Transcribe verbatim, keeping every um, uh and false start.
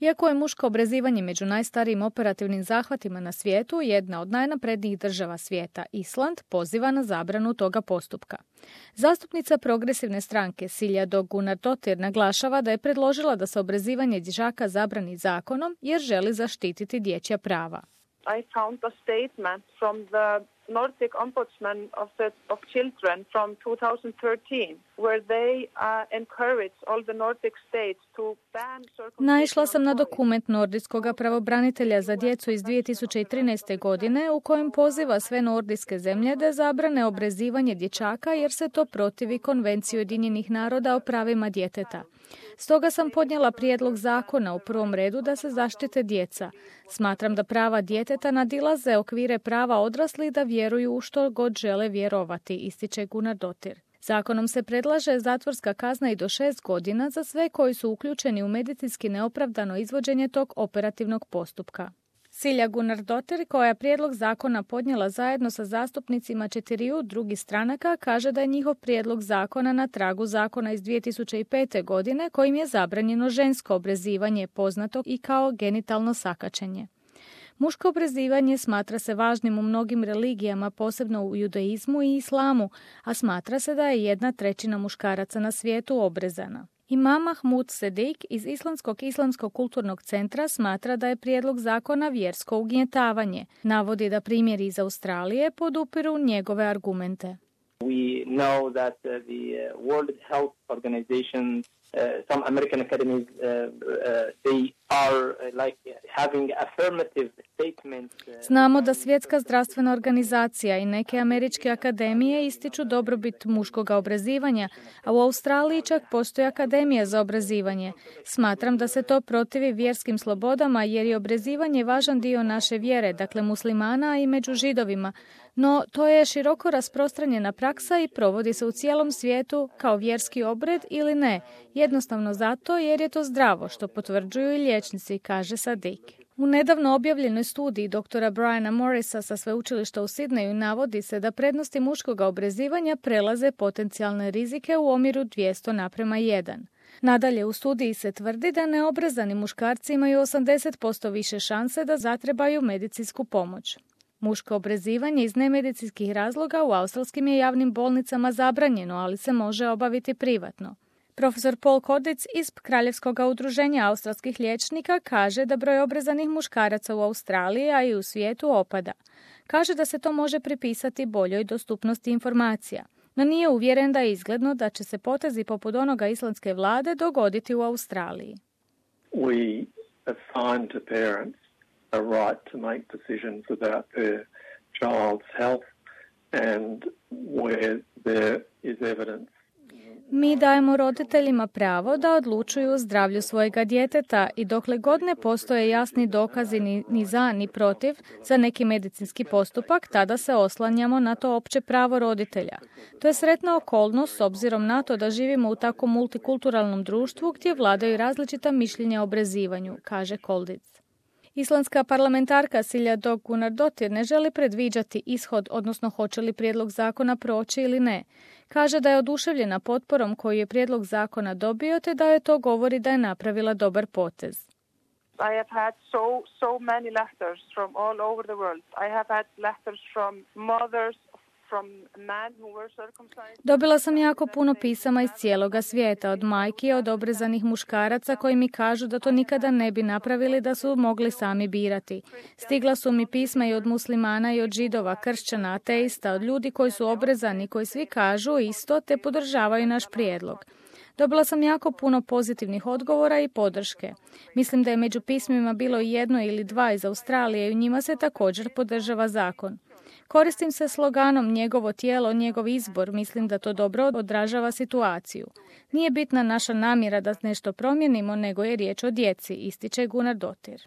Iako je muško obrezivanje među najstarijim operativnim zahvatima na svijetu, jedna od najnaprednijih država svijeta, Island, poziva na zabranu toga postupka. Zastupnica progresivne stranke Silja Dögg Gunnarsdóttir naglašava da je predložila da se obrezivanje dječaka zabrani zakonom jer želi zaštititi dječja prava. I found a statement from the Nordic Ombudsman of, the, of Children from two thousand thirteen, where they uh, encourage all the Nordic states to ban circumcision. Naišla sam na dokument nordijskog pravobranitelja za djecu iz dvije tisuće trinaeste. godine u kojem poziva sve nordijske zemlje da zabrane obrezivanje dječaka jer se to protivi Konvenciji Ujedinjenih naroda o pravima djeteta. Stoga sam podnijela prijedlog zakona u prvom redu da se zaštite djeca. Smatram da prava djeteta nadilaze okvire prava odraslih da vjeruju u što god žele vjerovati, ističe Gunnarsdóttir. Zakonom se predlaže zatvorska kazna i do šest godina za sve koji su uključeni u medicinski neopravdano izvođenje tog operativnog postupka. Silja Gunnarsdóttir, koja je prijedlog zakona podnijela zajedno sa zastupnicima četiriju drugih stranaka, kaže da je njihov prijedlog zakona na tragu zakona iz dvije tisuće pete. godine kojim je zabranjeno žensko obrezivanje, poznato i kao genitalno sakaćenje. Muško obrezivanje smatra se važnim u mnogim religijama, posebno u judaizmu i islamu, a smatra se da je jedna trećina muškaraca na svijetu obrezana. Imam Mahmud Sedik iz Islandskog islamskog kulturnog centra smatra da je prijedlog zakona vjersko ugnjetavanje. Navodi da primjeri iz Australije podupiru njegove argumente. We know that uh, the uh, World Health Organization, uh, some American academies, uh, uh, they are uh, like having affirmative statements. Uh, Znamo da Svjetska zdravstvena organizacija i neke američke akademije ističu dobrobit muškog obrezivanja, a u Australiji čak postoji akademija za obrezivanje. Smatram da se to protivi vjerskim slobodama jer je obrezivanje važan dio naše vjere, dakle muslimana i među židovima. No, to je široko rasprostranjena praksa i provodi se u cijelom svijetu kao vjerski obred ili ne, jednostavno zato jer je to zdravo, što potvrđuju i liječnici, kaže Sadik. U nedavno objavljenoj studiji doktora Briana Morrisa sa sveučilišta u Sidneju navodi se da prednosti muškog obrezivanja prelaze potencijalne rizike u omjeru dvjesto naprema jedan. Nadalje, u studiji se tvrdi da neobrezani muškarci imaju osamdeset posto više šanse da zatrebaju medicinsku pomoć. Muško obrezivanje iz nemedicinskih razloga u australskim je javnim bolnicama zabranjeno, ali se može obaviti privatno. Profesor Paul Kodic iz Kraljevskog udruženja australskih liječnika kaže da broj obrezanih muškaraca u Australiji, a i u svijetu opada. Kaže da se to može pripisati boljoj dostupnosti informacija, no nije uvjeren da je izgledno da će se potezi poput onoga islandske vlade dogoditi u Australiji. We assign to parents a right to make decisions about their child's health and where there is evidence. Mi dajemo roditeljima pravo da odlučuju o zdravlju svojega djeteta i dokle god ne postoje jasni dokazi ni, ni za ni protiv za neki medicinski postupak, tada se oslanjamo na to opće pravo roditelja. To je sretna okolnost s obzirom na to da živimo u tako multikulturalnom društvu gdje vladaju različita mišljenja o obrezivanju, kaže Koldic. Islandska parlamentarka Silja Dögg Gunnarsdóttir ne želi predviđati ishod, odnosno hoće li prijedlog zakona proći ili ne. Kaže da je oduševljena potporom koju je prijedlog zakona dobio, te da je to govori da je napravila dobar potez. I have had so so many letters from all over the world. I have had letters from mothers, from men who were circumcised. Dobila sam jako puno pisama iz cijeloga svijeta, od majki, od obrezanih muškaraca koji mi kažu da to nikada ne bi napravili da su mogli sami birati. Stigla su mi pisma i od muslimana i od židova, kršćana, ateista, od ljudi koji su obrezani, koji svi kažu isto te podržavaju naš prijedlog. Dobila sam jako puno pozitivnih odgovora i podrške. Mislim da je među pismima bilo jedno ili dva iz Australije i u njima se također podržava zakon. Koristim se sloganom njegovo tijelo, njegov izbor, mislim da to dobro odražava situaciju. Nije bitna naša namjera da nešto promijenimo, nego je riječ o djeci, ističe Gunnarsdóttir.